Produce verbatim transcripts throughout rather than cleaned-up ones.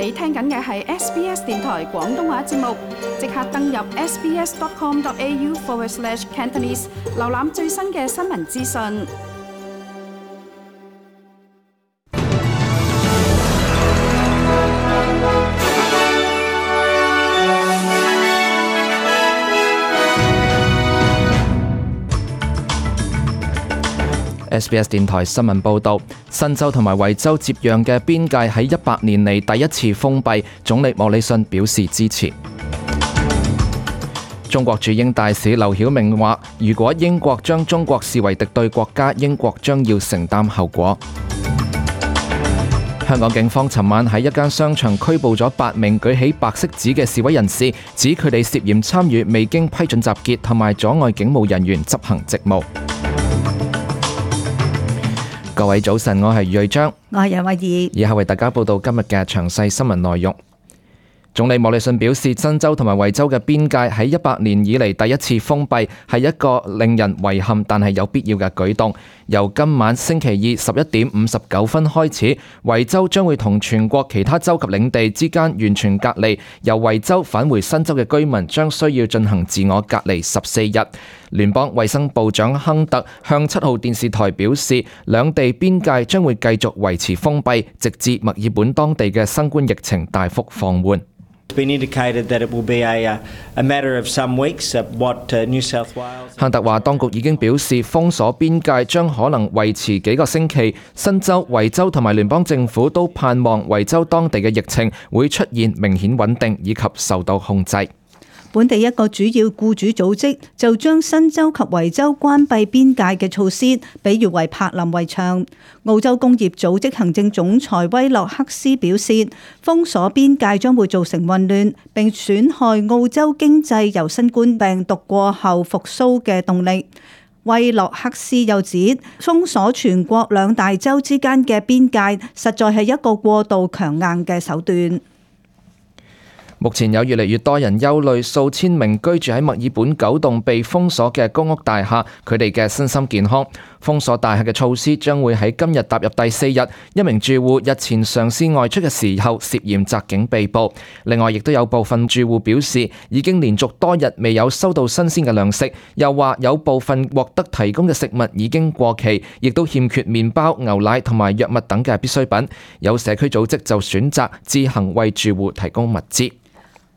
你聽緊嘅係 S B S 電台廣東話節目，即刻登入 sbs.com.au forward slash Cantonese， 瀏覽最新嘅新聞資訊。S B S 電台新聞報導，新州同埋維州接壤嘅邊界喺一百年嚟第一次封閉，總理莫里遜表示支持。中國駐英大使劉曉明話，如果英國將中國視為敵對國家，英國將要承擔後果。香港警方尋晚喺一間商場拘捕咗八名舉起白色紙嘅示威人士，指佢哋涉嫌參與未經批准集結同埋阻礙警務人員執行職務。各位早晨，我係余瑞章，我係楊慧儀，以下為大家報道今日嘅詳細新聞內容。總理莫里遜表示，新州同埋維州嘅邊界喺一百年以嚟第一次封閉，係一個令人遺憾但係有必要嘅舉動。由今晚星期二十一點五十九分開始，維州將會同全國其他州及領地之間完全隔離。由維州返回新州嘅居民將需要進行自我隔離十四日。聯邦衛生部長亨特向七號電視台表示，兩地邊界將會繼續維持封閉，直至墨爾本當地嘅新冠疫情大幅放緩。亨特話，當局已經表示封鎖邊界將可能維持幾個星期。新州、維州同埋聯邦政府都盼望維州當地嘅疫情會出現明顯穩定以及受到控制。本地一個主要僱主組織就將新州及維州關閉邊界嘅措施比喻為柏林圍牆。澳洲工業組織行政總裁威洛克斯表示，封鎖邊界將會造成混亂，並損害澳洲經濟由新冠病毒過後復甦嘅動力。威洛克斯又指，封鎖全國兩大洲之間嘅邊界實在係一個過度強硬嘅手段。目前有越嚟越多人憂慮數千名居住喺墨爾本九棟被封鎖嘅公屋大廈，佢哋嘅身心健康。封鎖大廈嘅措施將會喺今日踏入第四日。一名住戶日前嘗試外出嘅時候涉嫌襲警被捕。另外，亦都有部分住戶表示已經連續多日未有收到新鮮嘅糧食，又話有部分獲得提供嘅食物已經過期，亦都欠缺麵包、牛奶同埋藥物等嘅必需品。有社區組織就選擇自行為住戶提供物資。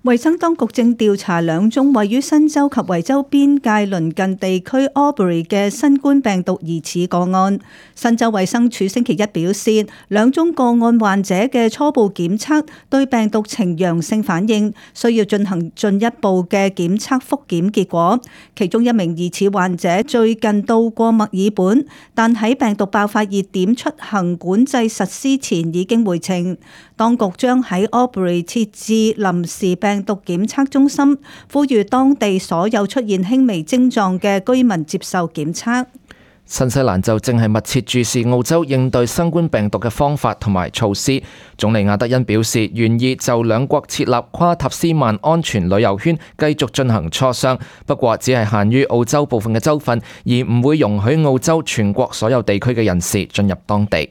衛生當局正調查兩宗位於新州及維州邊界鄰近地區 Albury 嘅新冠病毒疑似個案。新州衛生署星期一表示，兩宗個案患者嘅初步檢測對病毒呈陽性反應，需要進行進一步嘅檢測複檢結果。其中一名疑似患者最近到過墨爾本，但喺病毒爆發熱點出行管制實施前已經回程。當局將喺 Albury 設置臨時病毒檢測中心，呼籲當地所有出現輕微症狀嘅居民接受檢測。新西蘭就正係密切注視澳洲應對新冠病毒嘅方法同埋措施。總理亞德恩表示，願意就兩國設立跨塔斯曼安全旅遊圈繼續進行磋商，不過只係限於澳洲部分嘅州份，而唔會容許澳洲全國所有地區嘅人士進入當地。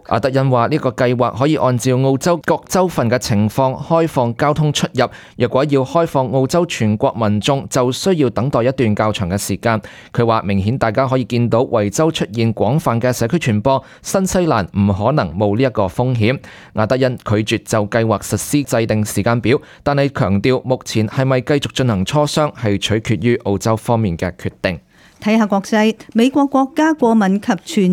阿德恩話：呢個計劃可以按照澳洲各州份嘅情況開放交通出入。若果要開放澳洲全國民眾，就需要等待一段較長嘅時間。佢話：明顯大家可以見到維州出現廣泛嘅社區傳播，新西蘭唔可能冇呢一個風險。阿德恩拒絕就計劃實施制定時間表，但係強調目前係咪繼續進行磋商係取決於澳洲方面嘅決定。睇下國際，美國國家過敏及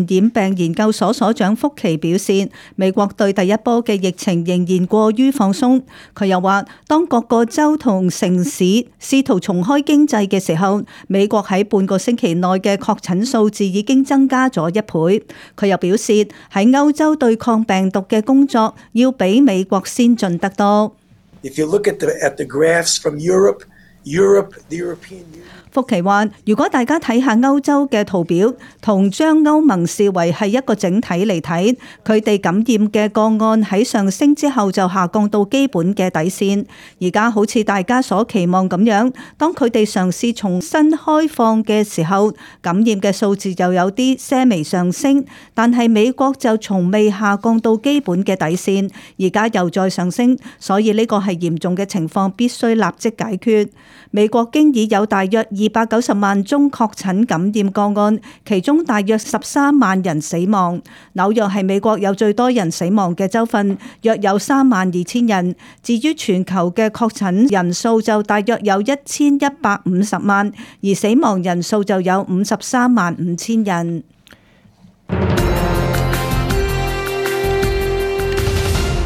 傳染病研究所所長福奇表示，美國對第一波嘅疫情仍然過於放鬆。佢又話，當各個州同城市試圖重開經濟嘅時候，美國喺半個星期內嘅確診數字已經增加咗一倍。佢又表示，喺歐洲對抗病毒嘅工作要比美國先進得多。If you look at the, at the graphs from Europe, Europe, the European Union 福奇話：如果大家睇下歐洲嘅圖表，同將歐盟視為係一個整體嚟睇，佢哋感染嘅個案喺上升之後就下降到基本嘅底線。而家好似大家所期望咁樣，當佢哋嘗試重新開放嘅時候，感染嘅數字又有啲些微上升，但係美國就從未下降到基本嘅底線，而家又再上升，所以呢個係嚴重嘅情況，必須立即解決。美國經已有大約二百九十萬宗確診感染個案，其中大約十三萬人死亡。紐約係美國有最多人死亡嘅州份，約有三萬二千人。至於全球嘅確診人數就大約有一千一百五十萬，而死亡人數就有五十三萬五千人。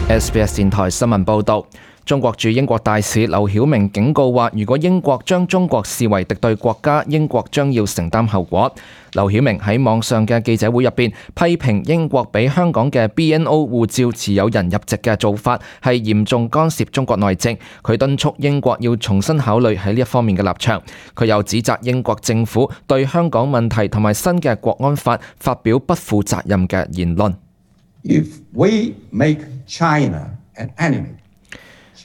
S B S 電台新聞報導。中國駐英國大使劉曉明警告話，如果英國將中國視為敵對國家，英國將要承擔後果。劉曉明喺網上嘅記者會入邊批評英國俾香港嘅 B N O 護照持有人入籍嘅做法係嚴重干涉中國內政，佢敦促英國要重新考慮喺呢一方面嘅立場。佢又指責英國政府對香港問題同埋新嘅國安法發表不負責任嘅言論。If we make China an enemy,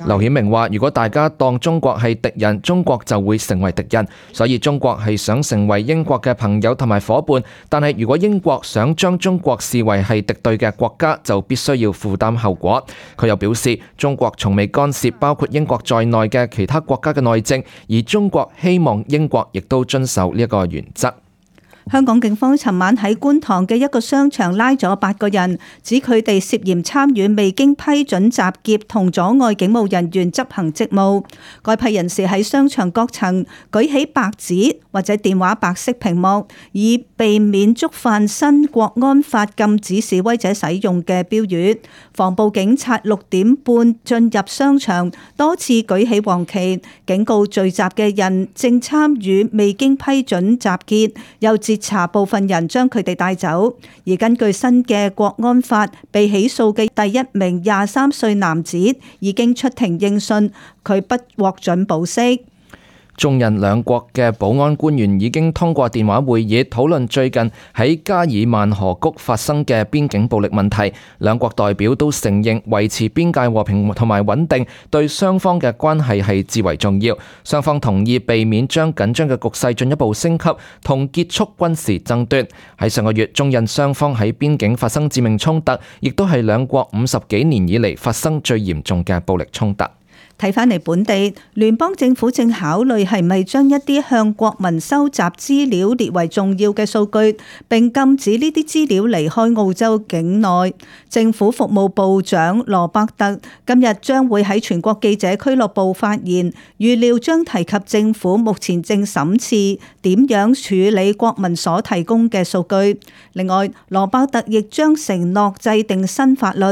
劉曉明話：如果大家當中國係敵人，中國就會成為敵人。所以中國係想成為英國嘅朋友同埋夥伴，但係如果英國想將中國視為係敵對嘅國家，就必須要負擔後果。佢又表示，中國從未干涉包括英國在內嘅其他國家嘅內政，而中國希望英國亦都遵守呢一個原則。香港警方尋晚喺觀塘嘅一個商場拉咗八個人，指佢哋涉嫌參與未經批准襲劫同阻礙警務人員執行職務。該批人士喺商場各層舉起白紙或者電話白色屏幕，以避免觸犯新國安法禁止示威者使用嘅標語。防暴警察六點半進入商場，多次舉起黃旗，警告聚集嘅人正參與未經批准集結，又截查部分人將佢哋帶走。而根據新嘅國安法，被起訴嘅第一名廿三歲男子已經出庭應訊，佢不獲准保釋。中印兩國嘅保安官員已經通過電話會議討論最近喺加爾曼河谷發生嘅邊境暴力問題。兩國代表都承認維持邊界和平同埋穩定對雙方嘅關係係至為重要。雙方同意避免將緊張嘅局勢進一步升級，同結束軍事爭端。喺上個月，中印雙方喺邊境發生致命衝突，亦都係兩國五十幾年以嚟發生最嚴重嘅暴力衝突。睇返嚟本地，聯邦政府正考慮係咪將一啲向國民收集資料列為重要嘅數據，並禁止呢啲資料離開澳洲境內。政府服務部長羅伯特今日將會喺全國記者俱樂部發言，預料將提及政府目前正審視點樣處理國民所提供嘅數據。另外，羅伯特亦將承諾制定新法律，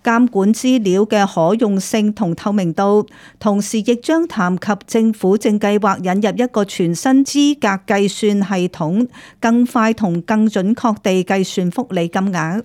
監管資料嘅可用性同透明度。同時亦將談及政府正計劃引入一個全新資格計算系統，更快同更準確地計算福利金額。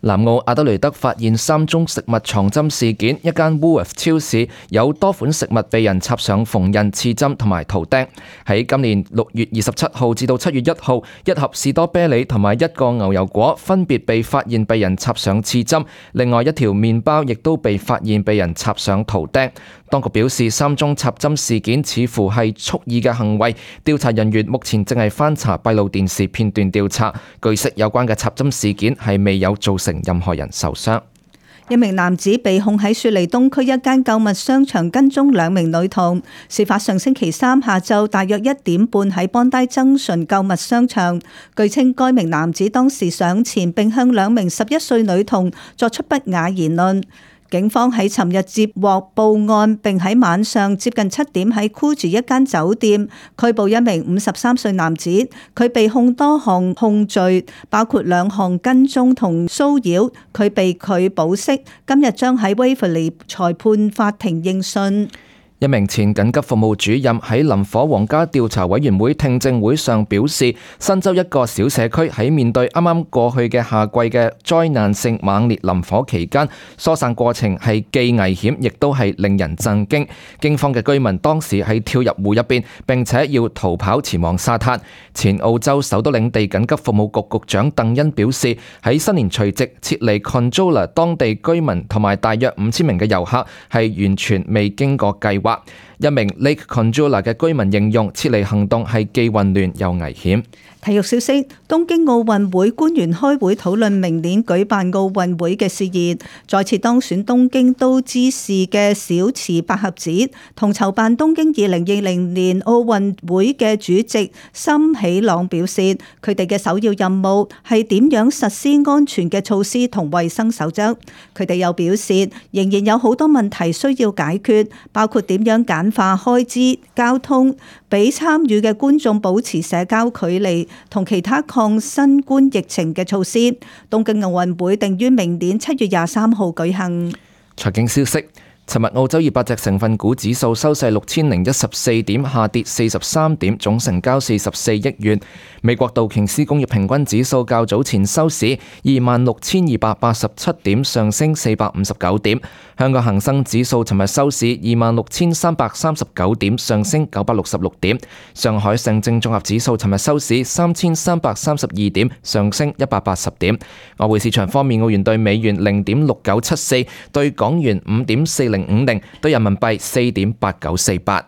南澳阿德雷德發現三宗食物藏針事件，一間 Woolworths 超市有多款食物被人插上縫印、刺針同埋圖釘。喺今年六月二十七號至到七月一號，一盒士多啤梨同埋一個牛油果分別被發現被人插上刺針，另外一條麵包亦都被發現被人插上圖釘。當局表示，三宗插針事件似乎係蓄意嘅行為，調查人員目前正係翻查閉路電視片段調查。據悉，有關嘅插針事件係未有造成任何人受傷。一名男子被控喺雪梨東區一間購物商場跟蹤兩名女童。事發上星期三下晝大約一點半喺邦戴增順購物商場。據稱，該名男子當時上前並向兩名十一歲女童作出不雅言論。警方喺尋日接獲報案，並喺晚上接近七點喺酷住一間酒店拘捕一名五十三歲男子，佢被控多項控罪，包括兩項跟蹤同騷擾，佢被拒保釋，今日將喺 Waverley 裁判法庭應訊。一名前緊急服務主任喺林火皇家調查委員會聽證會上表示，新州一個小社區喺面對啱啱過去嘅夏季嘅災難性猛烈林火期間，疏散過程係既危險亦都係令人震驚。驚慌嘅居民當時係跳入湖入邊，並且要逃跑前往沙灘。前澳洲首都領地緊急服務局局長鄧恩表示，喺新年除夕撤離 Conjola 當地居民同埋大約五千名嘅遊客係完全未經過計劃。一名 Lake Conjola 嘅居民形容撤離行動係既混亂又危險。體育消息：東京奧運會官員開會討論明年舉辦奧運會嘅事宜。再次當選東京都知事嘅小池百合子同籌辦東京二零二零年奧運會嘅主席森喜朗表示，佢哋嘅首要任務係點樣實施安全嘅措施同衛生守則。佢哋又表示，仍然有好多問題需要解決，包括點樣簡化開支、交通，俾參與嘅觀眾保持社交距離同其他抗新冠疫情嘅措施。東京奧運會定於明年七月廿三號舉行。財經消息。尋日澳洲二百隻成分股指數收市六千零一十四點，下跌四十三點，總成交四十四億元。美國道瓊斯工業平均指數較早前收市二萬六千二百八十七點，上升四百五十九點。香港恒生指數尋日收市二萬六千三百三十九點，上升九百六十六點。上海上證綜合指數尋日收市三千三百三十二點，上升一百八十點。外匯市場方面，澳元對美元零點六九七四，對港元五點四零五零，對人民幣四點八九四八。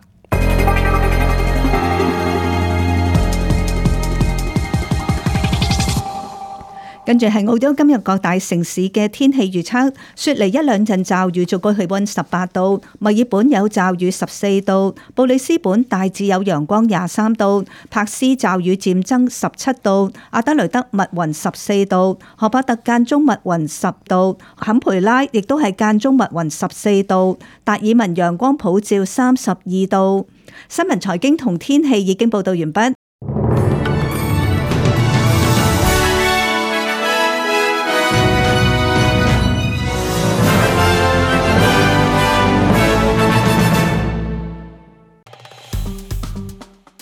跟住係澳洲今日各大城市嘅天氣預測：雪梨一兩陣驟雨，最高氣溫十八度；墨爾本有驟雨十四度；布里斯本大致有陽光廿三度；珀斯驟雨漸增十七度；阿德雷德密雲十四度；荷巴特間中密雲十度；坎培拉亦都係間中密雲十四度；達爾文陽光普照三十二度。新聞財經同天氣已經報道完畢。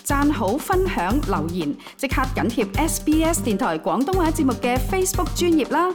讚好、分享、留言，即刻緊貼 S B S 電台廣東話節目嘅 Facebook 專頁啦！